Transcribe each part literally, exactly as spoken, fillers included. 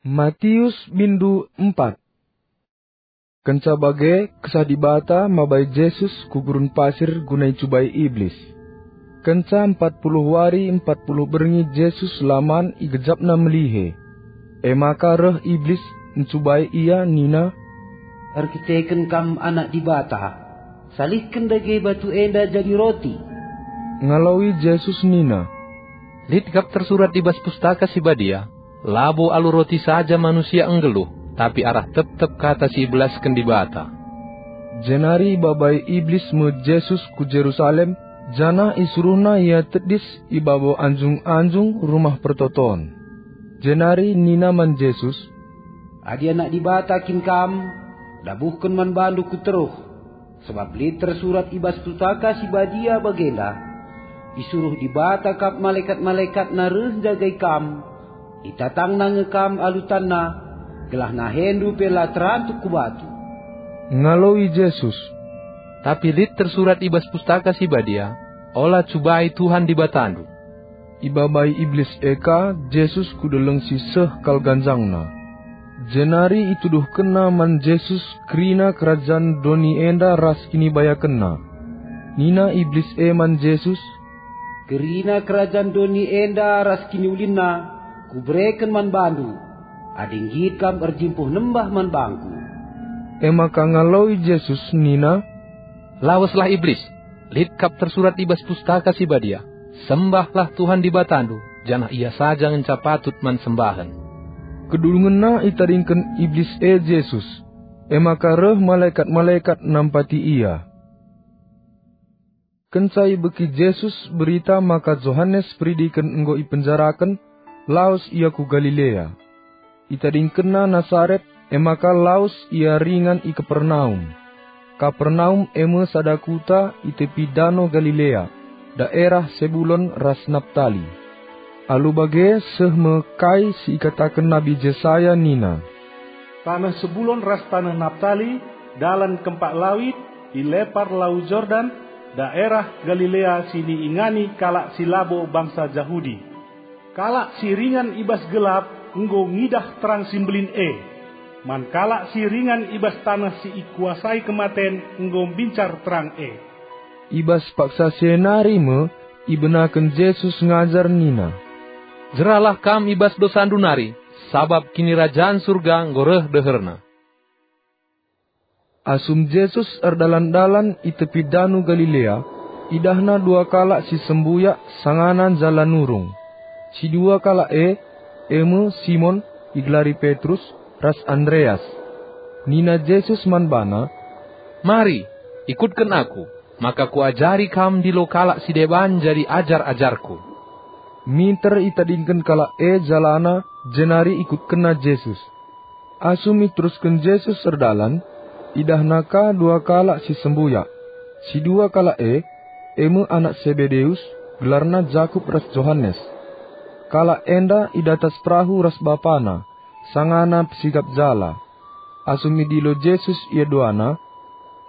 Matius bindu empat. Kenca bage, Kesah Dibata mabai Jesus ku gurun pasir guna icubai Iblis. Kenca empat puluh wari empat puluh berngi Jesus la man i gejapna melihe. E maka reh Iblis ncubai Ia nina, "Erkiteken Kam Anak Dibata, salihken dage batu enda jadi roti." Ngaloi Jesus nina, "Lit kap tersurat i bas Pustaka Si Badia, 'Labo alu roti saja manusia nggeluh, tapi arah tep-tep kata si ibelasken Dibata.'" Jenari ibabai Iblis me Jesus ku Jerusalem, janah isuruhna Ia tedis i babo anjung-anjung Rumah Pertoton. Jenari nina man Jesus, "Adi Anak Dibata kin Kam, dabuhken man bandu kuteruh. Sabap lit tersurat i bas Pustaka Si Badia bagenda, 'Isuruh Dibata kap malekat-malekatNa reh njagai Kam, itatangNa nge Kam alu tanNa, gelah nahendu pe la terantuk ku batu.'" Ngaloi Jesus, "Tapi lit tersurat i bas Pustaka Si Badia, 'Ola cubai Tuhan Dibatandu.'" Ibabai Iblis e ka Jesus ku deleng si seh kal ganjangna. Jenari ituduhkenna man Jesus kerina kerajan doni enda ras kinibayakenna. Nina Iblis e man Jesus, "Kerina kerajan doni enda ras kiniulinna Kubereken man bandu, adi nggit kam erjimpuh nembah man bangKu." E maka ngaloi Jesus nina, "Laweslah Iblis! Lit kap tersurat i bas Pustaka Si Badia, 'Sembahlah Tuhan Dibatandu, janah Ia saja ngenca patut man sembahen.'" Kedungenna itadingken Iblis e Jesus, e maka reh malekat-malekat nampati Ia. Kenca ibegi Jesus berita maka Johanes Peridiken enggo ipenjaraken, lawes Ia ku Galilea. Itadingkenna Nasaret, e maka lawes Ia ringan i Kapernaum. Kapernaum e me sada kuta i tepi Dano Galilea, daerah Sebulon ras Naptali. Alu bage seh me kai si ikataken Nabi Jesaya nina, "Taneh Sebulon ras taneh Naptali, dalan kempak lawit, i lepar Lau Jordan, daerah Galilea si niingani kalak si labo bangsa Jahudi. Kalak si ringan i bas gelap enggo ngidah terang si mbelin e. Man kalak si ringan i bas taneh si ikuasai kematen enggo mbincar terang e." I bas paksa si e nari me ibenaken Jesus ngajar nina, "Jeralah kam i bas dosandu nari, sabap Kinirajan Surga enggo reh deherna." Asum Jesus erdalan-dalan i tepi Dano Galilea, idahNa dua kalak si sembuyak sangana njala nurung. Si dua kalak e, e me Simon, igelari Petrus, ras Andreas. Nina Jesus man bana, "Mari, ikutken Aku, maka Kuajari kam ndilo kalak si deban jadi ajar-ajarKu." Minter itadingken kalak e jalana, jenari ikutkenna Jesus. Asum iterusken Jesus erdalan, idahna ka dua kalak si sembuyak. Si dua kalak e, e me anak Sebedeus, gelarna Jakup ras Johanes. Kalak enda i datas perahu ras bapana, sangana pesikap jala. Asum idilo Jesus ia duana,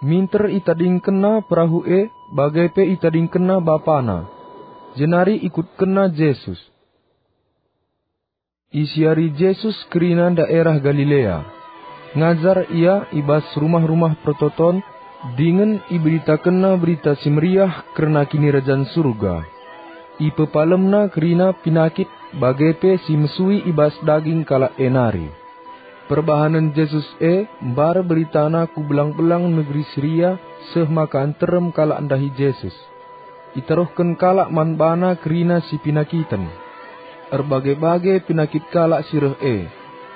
minter itadingkenna perahu e, bage pe itadingkenna bapana. Jenari ikutkenna Jesus. Isiari Jesus kerina daerah Galilea. Ngajar Ia i bas rumah-rumah pertoton, dingen iberitakenNa Berita Si Meriah kerna Kinirajan Surga. IpepalemNa kerina penakit bage pe si mesui i bas daging kalak e nari. Perbahanen Jesus e mbar beritana ku belang-belang negeri Siria seh maka nterem kalak ndahi Jesus. Itaruhken kalak man bana kerina si penakiten. Erbage-bage penakit kalak si reh e,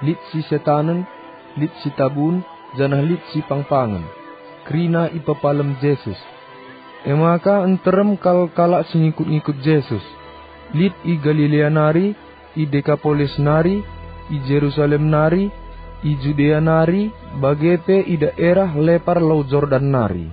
lit si setanen, lit si tabun, janah lit si pangpangen. Kerina ipepalem Jesus. E maka nterem kal kalak si ngikut-ngikut Jesus, lit i Galilea nari, i Dekapolis nari, i Jerusalem nari, i Judea nari, bage pe i daerah lepar Lau Jordan nari.